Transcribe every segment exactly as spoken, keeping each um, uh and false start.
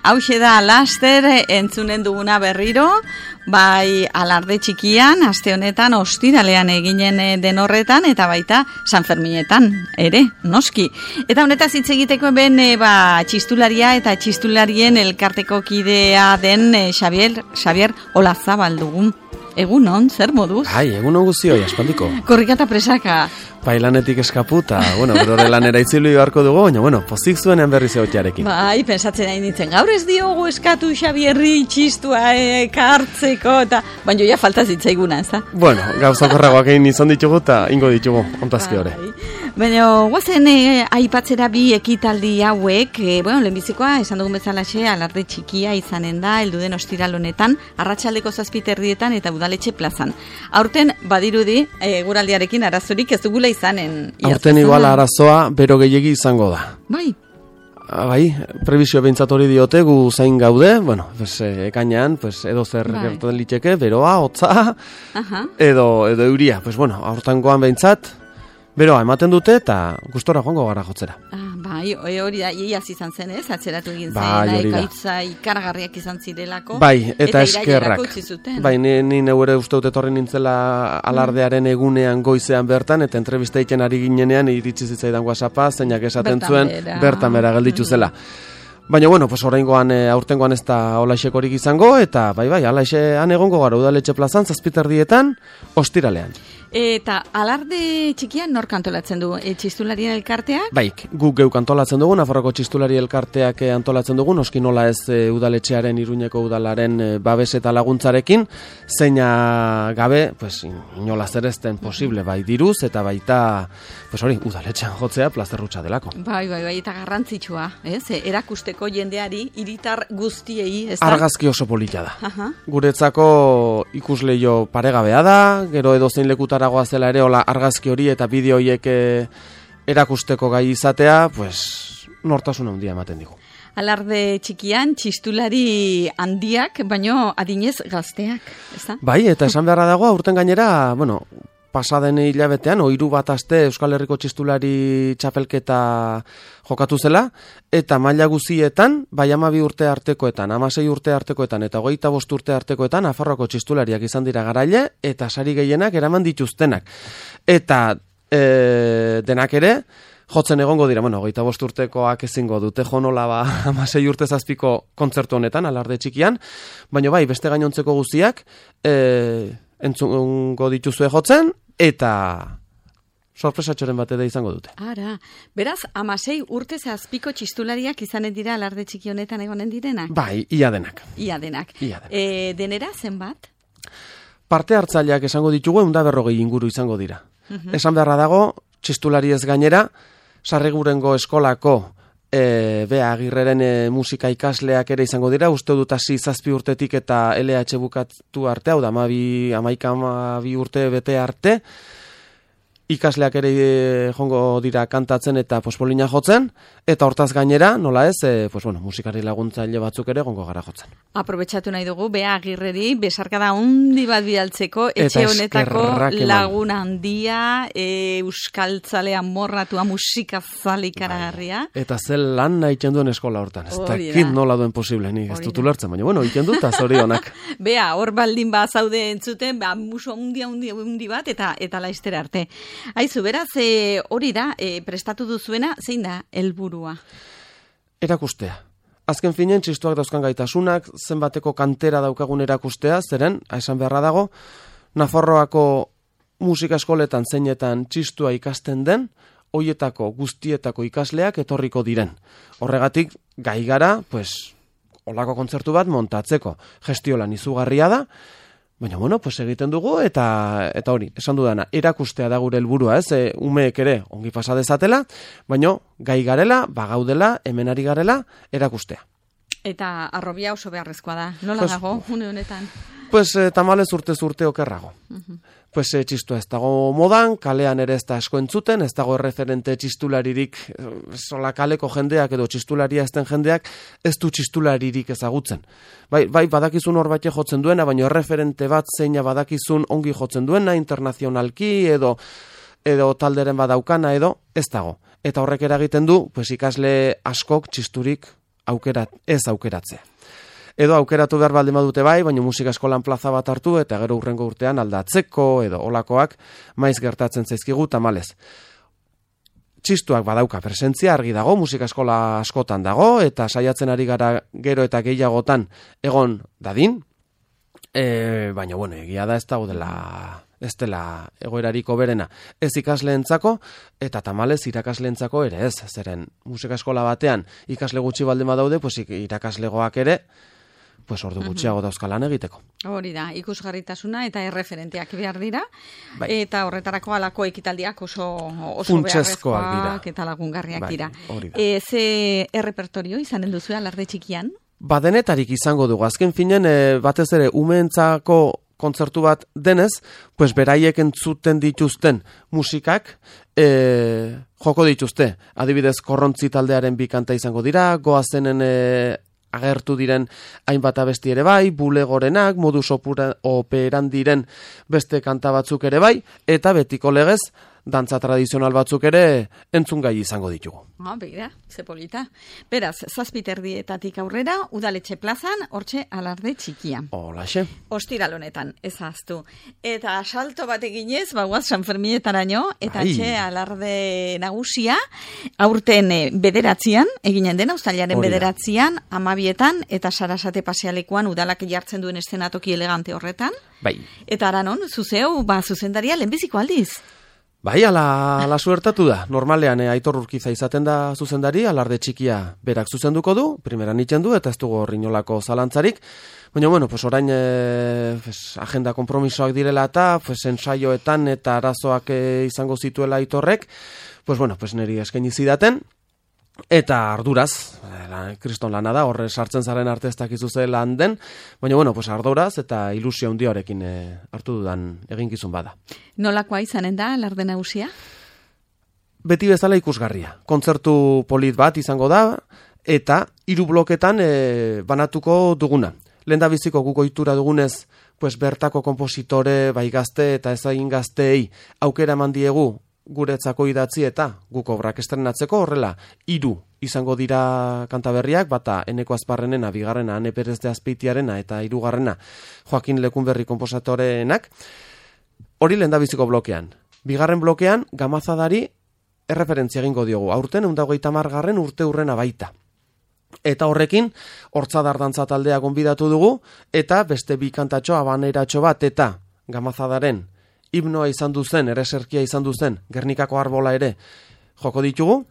hauxe da laster entzunen duguna berriro, bai alarde txikian, aste honetan ostiralean eginen den horretan, eta baita San Ferminetan, ere, noski. Eta honetaz hitz egiteko ben ba, txistularia eta txistularien elkarteko kidea den Xavier, Xavier Olazabal dugun. Egunon, zer moduz? Ai, egunon guzioi, aspaldiko. Korrika eta presaka. Bai, lanetik eskaputa, bueno, berore lanera itzuli beharko dugu, baina, bueno, pozik zuenean berriz egotiarekin. Bai, pensatzen nahi nintzen, gaur ez diogu eskatu Xabierri txistua ekartzeko, eta baina ja falta zitzaiguna, ez da? Bueno, gauzakorragoak egin izan ditugu, eta ingo ditugu, ontazki hori. Baina, guazen eh, aipatzera bi ekitaldi hauek, eh, bueno, lehenbizikoa, esan dugun bezalaxe, alarde txikia izanen da, elduden ostiral honetan, arratsaldeko zazpiterdietan eta udaletxe plazan. Aurten, badirudi, eh, guraldiarekin arazorik ez dugula izanen. Aurten igual arazoa, bero gehiegi izango da. Bai. Bai, prebizio behintzat hori diote, gu zain gaude, bueno, pues, ekainean, pues, edo zer bai. Gertatzen liteke, beroa, hotza, edo, edo euria. Pues, bueno, aurtengoan behintzat, beroa ematen dute eta gustora joango gara jotzera. Ah, bai, hori da, iaz izan zen ez, atzeratu egin bai, zen, ekaitza ikaragarriak izan zirelako. Bai, eta, eta eskerrak. Bai, ni, ni neure uste dut etorri nintzela alardearen egunean goizean bertan, eta entrevista egiten ari ginenean iritsi zitzaidan WhatsAppa, zeinak esaten bertan zuen, bera. bertan bera gelditu zela. Baina, bueno, pues oraingoan, e, aurtengoan ez da olaixekorik izango, eta bai, bai, alaixean egongo gara udaletxe plazan, zazpiterdietan, ostiralean. Eta alarde txikian nor antolatzen du? E, txistularien elkarteak? Baik, guk geuk antolatzen dugu, Nafarroko txistulari elkarteak antolatzen dugu, noski nola ez e, udaletxearen, Iruñeko udalaren e, babes eta laguntzarekin, zeina gabe, pues, inola zerezten posible, bai diruz, eta baita, pues hori, udaletxean jotzea plazerrutxa delako. Bai, bai, bai, eta garrantzitsua, ez? Erakusteko jendeari, hiritar guztiei, ez da? Argazki oso polita da. Aha. Guretzako ikusleio paregabea da, gero edozein lekuta aragoa zela ere, hola argazki hori eta bideo horiek erakusteko gai izatea, pues, nortasun handia ematen digu. Alarde txikian, txistulari handiak, baino adinez gazteak, ez da? Bai, eta esan beharra dago, aurten gainera, bueno, pasaden hilabetean, ohiru bat aste Euskal Herriko txistulari txapelketa jokatu zela, eta maila guzietan, bai hamabi urte artekoetan, hamasei urte artekoetan, eta hogeita bost urte artekoetan, Nafarroako txistulariak izan dira garaile, eta sari gehienak eraman dituztenak. Eta e, denak ere, jotzen egongo dira, bueno, hogeita bost urtekoak ezingo dute jonola ba, hamasei urte zazpiko kontzertu honetan, alarde txikian, baina bai, beste gainontzeko guztiak, e, entzungo dituzue jotzen, eta sorpresatxoren bat eda izango dute. Ara, beraz, hamasei urte zazpiko txistulariak izanen dira alarde txiki honetan egonen direnak? Bai, ia denak. Ia denak. Ia denak. E, denera zenbat? Parte hartzaileak esango ditugu, ehun eta berrogei inguru izango dira. Uh-huh. Esan beharra dago, txistulari ez gainera, Sarrigurengo eskolako E, bea, Agirreren e, musika ikasleak ere izango dira, uste dut hasi zazpi urtetik eta L H bukatu arte, hau da, amabi, amaika amabi urte bete arte, ikasleak ere e, jongo dira kantatzen eta pospolina jotzen, eta hortaz gainera, nola ez, e, pues bueno, musikari laguntzaile batzuk ere gongo gara jotzen. Aprobetxatu nahi dugu, Bea Agirreri, besarkada hundi bat bidaltzeko, etxe honetako lagun handia, e, euskaltzalea morratua, musikazale ikaragarria. Bai. Eta zel lan nahi duen eskola hortan, ez dakit nola duen posible, nik ez dut ulertzen, baina bueno, ikendu eta zorionak. Bea, hor baldin ba zaude entzuten, ba, muso hundia hundi, hundi bat, eta eta laizter arte. Aizu, beraz, e, hori da, e, prestatu duzuena, zein da helburua? Erakustea. Azken finen, txistuak dauzkan gaitasunak, zenbateko kantera daukagun erakustea, zeren, esan beharra dago, Nafarroako musika eskoletan zeinetan txistua ikasten den, hoietako guztietako ikasleak etorriko diren. Horregatik, gai gara, pues, holako kontzertu bat montatzeko. Gestiolan izugarria da, baina, bueno, pues egiten dugu, eta eta hori, esan dudana, erakustea da gure helburua, ez, e, umeek ere ongi pasa dezatela, baina gai garela, bagaudela, hemen ari garela, erakustea. Eta arrobia oso beharrezkoa da, nola pues, dago, une honetan? Pues, e, tamalez urte urte okerrago. Uh-huh. Pues, e, txistua ez dago modan, kalean ere ez da asko entzuten, ez dago erreferente txistularirik, sola kaleko jendeak edo txistularia ezten jendeak, ez du txistularirik ezagutzen. Bai, bai badakizun hor batxe jotzen duena, baina erreferente bat zeina badakizun ongi jotzen duena, internazionalki edo edo talderen badaukana edo ez dago. Eta horrek eragiten du, pues ikasle askok txisturik aukerat, ez aukeratzea. Edo aukeratu behar baldin badute bai, baina musika eskolan plaza bat hartu eta gero hurrengo urtean aldatzeko edo olakoak maiz gertatzen zaizkigu tamalez. Txistuak badauka presentzia argi dago, musika eskola askotan dago eta saiatzen ari gara gero eta gehiagotan egon dadin. E, baina bueno, egia da ez dago dela ez dela egoerariko berena ez ikasleentzako eta tamalez irakasleentzako ere ez, zeren musika eskola batean ikasle gutxi baldin badaude, pues irakaslegoak ere pues ordu gutxiago dauzkalan egiteko. Hori da, ikusgarritasuna eta erreferenteak behar dira, bai. Eta horretarako alako ekitaldiak oso, oso funtsezkoak dira. Eta lagungarriak bai, dira. E, ze errepertorio izanen duzu alarde txikian? Ba, denetarik izango dugu. Azken finen, e, batez ere, umeentzako kontzertu bat denez, pues beraiek entzuten dituzten musikak e, joko dituzte. Adibidez, Korrontzi taldearen bi kanta izango dira, Goazenen e, agertu diren hainbat abesti ere bai, Bulegorenak, Modus Operandiren beste kanta batzuk ere bai, eta betiko legez, dantza tradizional batzuk ere entzungai izango ditugu. Ah, begira, ze polita. Beraz, zazpiterdietatik aurrera, Udaletxe plazan, hortxe alarde txikia. Holaxe. Ostiral honetan, ez ahaztu. Eta salto bat eginez, bagoaz San Ferminetaraino, eta Ai. Txe alarde nagusia, aurten eh, bederatzian, eginen dena, uztailaren Hori da. bederatzian, amabietan, eta Sarasate pasealekuan udalak jartzen duen eszenatoki elegante horretan. Bai. Eta aranon, zuzeu, ba, zuzendaria lehenbiziko aldiz. Bai, ala, ala suertatu da. Normalean, eh, Aitor Urkiza izaten da zuzendari, alarde txikia berak zuzenduko du, primeran itzen du, eta ez dugu horrinolako zalantzarik. Baina, bueno, pues orain eh, pues, agenda kompromisoak direla eta pues, ensaioetan eta arazoak eh, izango zituela Aitorrek, pues, bueno, pues, niri eskaini zidaten. Eta arduraz, la, kriston lana da, horre sartzen zaren arte ez dakizu ze lan den, baina, bueno, pues arduraz eta ilusio handioarekin e, hartu dudan eginkizun bada. Nolakoa izanen da, alarde nagusia? Beti bezala ikusgarria. Kontzertu polit bat izango da, eta hiru bloketan e, banatuko duguna. Lehendabiziko guk ohitura dugunez, pues bertako konpositore, bai gazte eta ezagin gazteei aukera eman diegu guretzako idatzi eta guk obrak estrenatzeko horrela hiru izango dira kanta berriak, bata Eneko Azparrenena, bigarrena Ane Perez de Azpeitiarena eta hirugarrena Joakin Lekunberri konposatoreenak. Hori lehendabiziko blokean. Bigarren blokean Gamazadari erreferentzia egingo diogu. Aurten ehun eta hogeita hamargarren urte hurrena baita. Eta horrekin Hortzadar dantza taldea gonbidatu dugu eta beste bi kantatxo abaneratxo bat eta Gamazadaren himnoa izan duzen, ereserkia izan duzen, Gernikako arbola ere joko ditugu,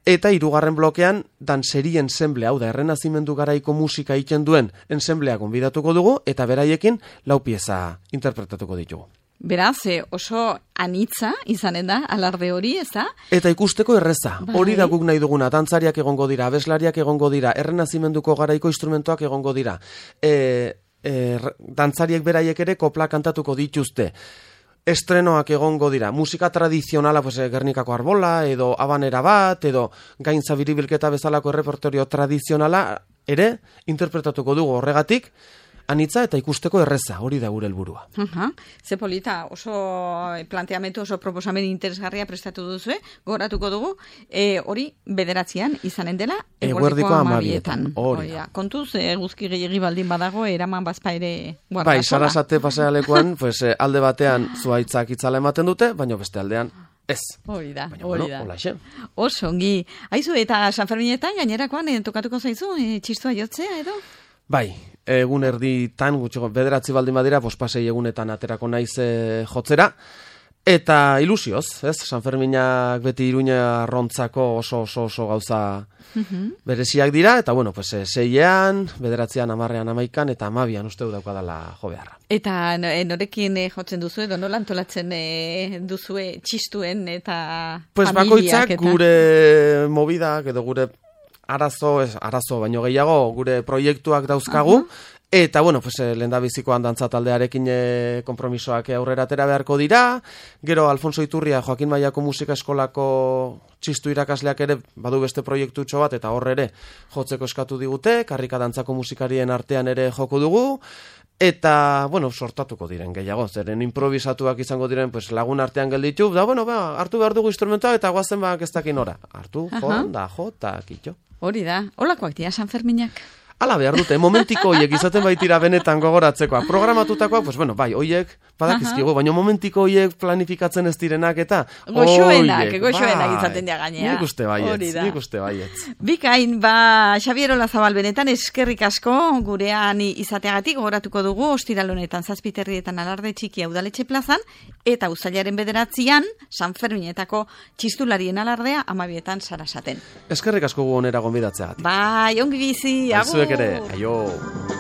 eta hirugarren blokean danseri ensemble, hau da, errenazimendu garaiko musika egiten duen ensemblea gonbidatuko dugu, eta beraiekin lau pieza interpretatuko ditugu. Beraz, oso anitza izanen da, alarde hori, ez da? Eta ikusteko erreza, bai. Hori da guk nahi duguna, dantzariak egongo dira, abeslariak egongo dira, errenazimenduko garaiko instrumentoak egongo dira, e, e, dantzariek beraiek ere kopla kantatuko dituzte, estrenoak egongo dira, musika tradizionala, pues, Gernikako arbola, edo abanera bat, edo gaintza biribilketa bezalako errepertorio tradizionala ere interpretatuko dugu horregatik, anitza eta ikusteko erreza, hori da gure helburua. Uh-huh. Ze polita, oso planteamendu, oso proposamen interesgarria prestatu duzu, goratuko dugu, e, hori bederatzean izanen dela, eguerdiko amabietan. Hori da. Kontuz, e, guzki gehiagi baldin badago, eraman bazpa ere guardasola. Bai, Sarasate pasealekuan, pues, alde batean zuaitzak itzala ematen dute, baina beste aldean ez. Hori da, baina, hori bueno, da. Olaxe. Oso, ongi. Aizu, eta San Ferminetan gainerakoan e, tokatuko zaizu, e, txistua jotzea edo? Bai, egun erditan, gutxiko bederatzi baldin badira, pospasei egunetan aterako naiz e, jotzera, eta ilusioz, ez? San Ferminak beti Iruña arrontzako oso oso oso gauza bereziak dira, eta bueno, pues, e, seiean, bederatzean, amarrean, amaikan, eta amabian uste du daukadala jo beharra. Eta norekin e, jotzen duzu, edo nola antolatzen e, duzue txistuen eta pues familiak? Bakoitzak eta... gure mobidak, edo gure arazo, ez, arazo, baino gehiago, gure proiektuak dauzkagu, uh-huh. Eta, bueno, pues, lehendabizikoan dantza taldearekin e, konpromisoak aurrera atera beharko dira, gero Alfonso Iturria, Joakin Mailako Musika Eskolako txistu irakasleak ere badu beste proiektutxo bat, eta horre ere jotzeko eskatu digute, karrika dantzako musikarien artean ere joko dugu, Eta, bueno, sortatuko diren gehiago, zeren improvisatuak izango diren pues, lagun artean gelditu, da, bueno, ba, hartu behar dugu instrumentoa eta guazen bak ez dakin ora. Hartu, jo, da, jo, eta kitxo. Hori da, holakoak dira San Ferminak. Ala behar dute, momentiko hoiek izaten baitira benetan gogoratzekoa. Programatutakoa, pues bueno, bai, hoiek badakizkigu, baina momentiko hoiek planifikatzen ez direnak eta goxoenak, goxoenak izaten dira gainea. Nik uste baietz, nik uste baietz. Bikain, ba, Xabier Olazabal benetan eskerrik asko gurean izateagatik gogoratuko dugu ostiral honetan zazpiterrietan alarde txiki udaletxe plazan eta uztailaren bederatzian San Ferminetako txistularien alardea amabietan Sarasaten. Eskerrik asko gu onera gonbidatzeagatik. Bai, ongi bizi, agur. Ere, aio.